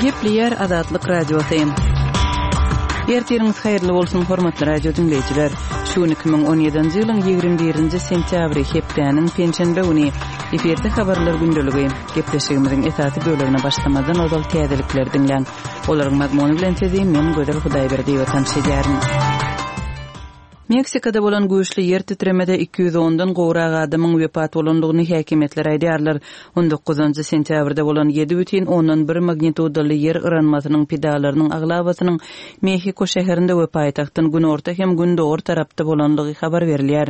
Gepleýär Azatlyk Radiosy. Ertiriňiz haýyrly bolsun, hormatly radio diňleýjiler. Şu gün 2017-nji ýylyň 21-nji sentýabry, hepdäniň penşenbe güni. Efirde habarlar gündeligi. Gepleşigimiziň esasy bölegine başlamazdan ozal täzelikleri diňläň. Olaryň mazmuny bilen sizi men Gözel Hudaýberdiýewa tanyş edýärin. Meksikada bolan güýçli ýer titremede 210-dan gowrak adamyň wepat bolandygyny häkimiýetler aýdýarlar. On dokuzynjy sentýabrda bolan ýedi bütin ondan bir magnitudaly ýer yranmasynyň pidalarynyň aglabasynyň Mehiko şäherinde we paýtagtdan günorta hem gündogar tarapda bolandygy habar berilýär.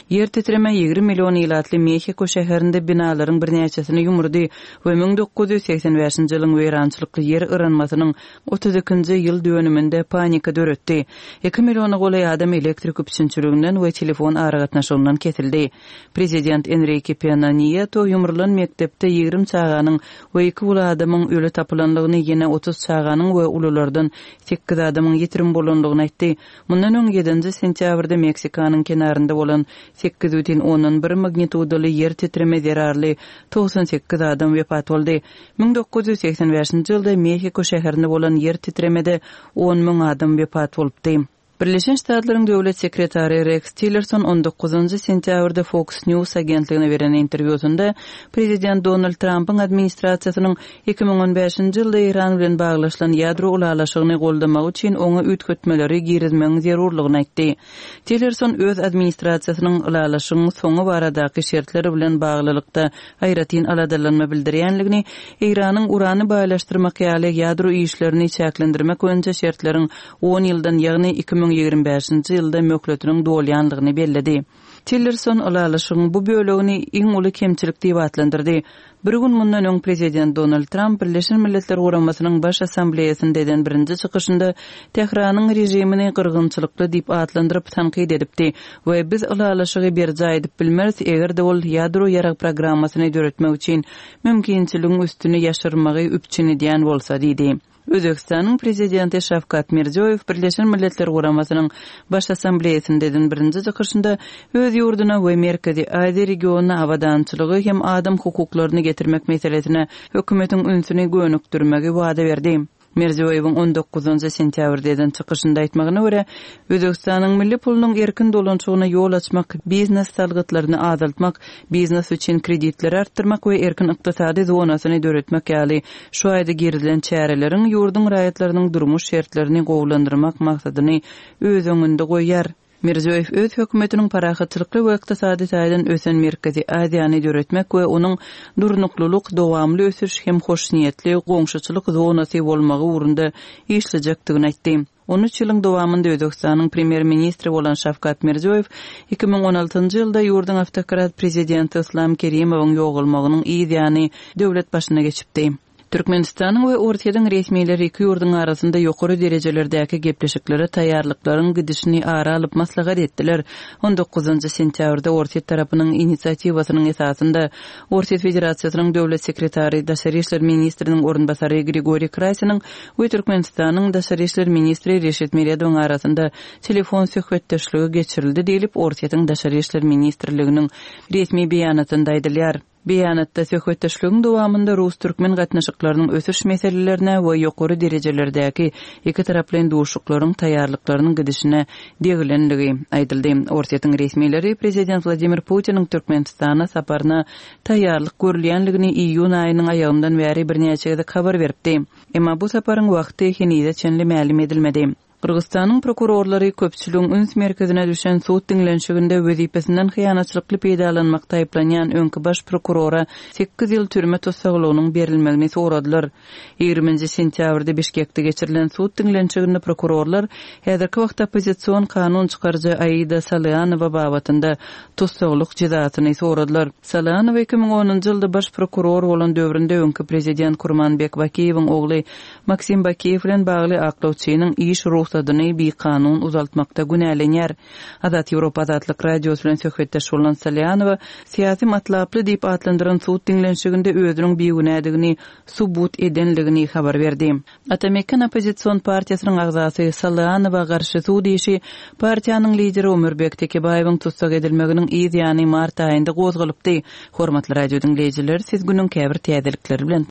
Ýer titreme 20 million ilatly Mehiko şäherinde binalaryň birnäçesini ýumurdy we 1985-nji ýylyň weýrançylykly ýer yranmasynyň 32-nji ýyl dönüminde panika döretdi. Iki milliona golaý adam elektrik üpjünçiliginden we telefon aragatnaşygyndan kesildi. Prezident Enrike Pena Nieto ýumrulan mekdepde 20 çaganyň we iki uly adamyň öli tapylandygyny, ýene 30 çaganyň we ululardan sekiz adamyň ýitirim bolandygyny aýtdy. Mundan öň ýedinji sentýabrda Meksikanyň kenarynda bolan sekiz bütin ondan bir magnitudaly ýer titreme zerarly 98 adam wepat boldy. 1985-nji ýylda Mehiko şäherinde bolan ýer titremede 10 müň adam wepat bolupdy. Birleşen Ştatlaryň döwlet sekretary Reks Tillerson on dokuzynjy sentýabrda Fox News agentligine beren interwýusynda prezident Donald Trampyň administrasiýasynyň 2015-nji ýylda Eýran bilen baglaşylan ýadro ylalaşygyny goldamagy üçin oňa üýtgetmeleri girizmegiň zerurlygyny aýtdy. Tillerson öz administrasiýasynyň ylalaşygyň soňy baradaky şertler bilen baglylykda aýratyn aladalanma bildirýänligini, Eýranyň urany baýlaşdyrmak ýaly ýadro işlerini çäklendirmek boýunça şertleriň on ýyldan, ýagny 2025-nji ýylda möhletiniň dolýanlygyny belledi. Tillerson ylalaşygyň bu bölegini iň uly kemçilik diýip atlandyrdy. Bir gün mundan öň prezident Donald Tramp Birleşen Milletler Guramasynyň Baş Assambleýasynda eden birinji çykyşynda Tähranyň režimini gyrgynçylykly diýip atlandyryp tankyt edipdi we biz ylalaşygy berjaý edip bilmeris, eger-de ol ýadro ýarag programmasyny döretmek üçin mümkinçiligiň üstüni ýaşyrmagy üpjün edýän bolsa diýdi. Özbegistanyň Prezidenti Şawkat Mirziýoýew Birleşen Milletler Guramasynyň Baş Assambleýasynda eden birinji çykyşynda öz ýurduna we Merkezi Aziýa regionyna abadançylygy hem adam hukuklaryny getirmek meselesine hökümetiň ünsüni gönükdirmegi wada berdi. Mirziýoýewiň on dokuzynjy sentýabrda eden çykyşynda aýtmagyna görä, Özbegistanyň milli pulunyň erkin dolanyşygyna ýol açmak, biznes salgytlaryny azaltmak, biznes üçin kreditleri artdyrmak we erkin ykdysady zonasyny döretmek ýaly şu aýda girizilen çäreleriň ýurduň raýatlarynyň durmuş şertlerini gowulandyrmak maksadyny öz öňünde goýýar. Mirziýoýew öz hökümetiniň parahatçylykly we ykdysady taýdan ösen Merkezi Aziýany döretmek we onuň durnuklylyk, dowamly ösüş hem hoşniýetli goňşuçylyk zonasy bolmagy ugrunda işlejekdigini aýtdy. On üç ýylyň dowamynda Özbegistanyň premýer-ministri bolan Şawkat Mirziýoýew 2016-njy ýylda ýurduň awtokrat prezidenti Yslam Kerimowyň ýogalmagynyň yz ýany döwlet başyna geçipdi. Türkmenistanyň we Orsýetiň resmileri iki ýurduň arasynda ýokary derejelerdäki gepleşiklere taýýarlyklaryň gidişini ara alyp maslahat etdiler. On dokuzynjy sentýabrda Orsýet tarapynyň inisiatiwasynyň esasynda Orsýet Federasiýasynyň Döwlet sekretary, daşary işler ministriniň orunbasary Grigoriý Krasiniň we Türkmenistanyň daşary işler ministri Reşit Meredowyň arasynda telefon söhbetdeşligi geçirildi diýlip, Orsýetiň Daşary işler ministrliginiň resmi beýanatynda aýdylýar. Beýanatda söhbetdeşligiň dowamynda rus-türkmen gatnaşyklarynyň ösüş meselelerine we ýokary derejelerdäki ikitaraplaýyn duşuşyklaryň taýýarlyklarynyň gidişine degilenligi aýdyldy. Orsýetiň resmileri prezident Wladimir Putiniň Türkmenistana saparyna taýýarlyk görülýänligini iýun aýynyň aýagyndan bäri birnäçe gezek habar beripdi. Emma bu saparyň wagty henize çenli mälim edilmedi. Gyrgyzystanyň prokurorlary köpçüligiň üns merkezine düşen sud diňlenişiginde wezipesinden hyýanatçylykly peýdalanmakda aýyplanýan öňki baş prokurora sekiz ýyl türme tussaglygynyň berilmegini soradylar. Ýigriminji sentýabrda Bişkekde geçirilen sud diňlenişiginde prokurorlar häzirki wagtda oppozision kanun çykaryjy Aida Salyanowa babatynda tussaglyk jezasyny soradylar. Salyanowa 2010-njy ýylda baş prokuror bolan döwründe öňki prezident Kurmanbek Bakiýewiň ogly Maksim Bakiýew bilen bagly aklawçynyň iş rugsadyny bikanun uzaltmakda günälenýär. Azat Ýewropa Azatlyk Radiosy bilen söhbetdeş bolan Salyanowa syýasy matlaply diýip atlandyran sud diňlenişiginde özüniň bigünädigini subut edenligini habar berdi. Ata-Meken oppozision partiýasynyň agzasy Salyanowa garşy sud işi partiýanyň lideri Omurbek Tekebaýewiň tussag edilmeginiň yz ýany mart aýynda gozgalypdy. Hormatly radio diňleýjiler, siz günüň käbir täzelikleri bilen.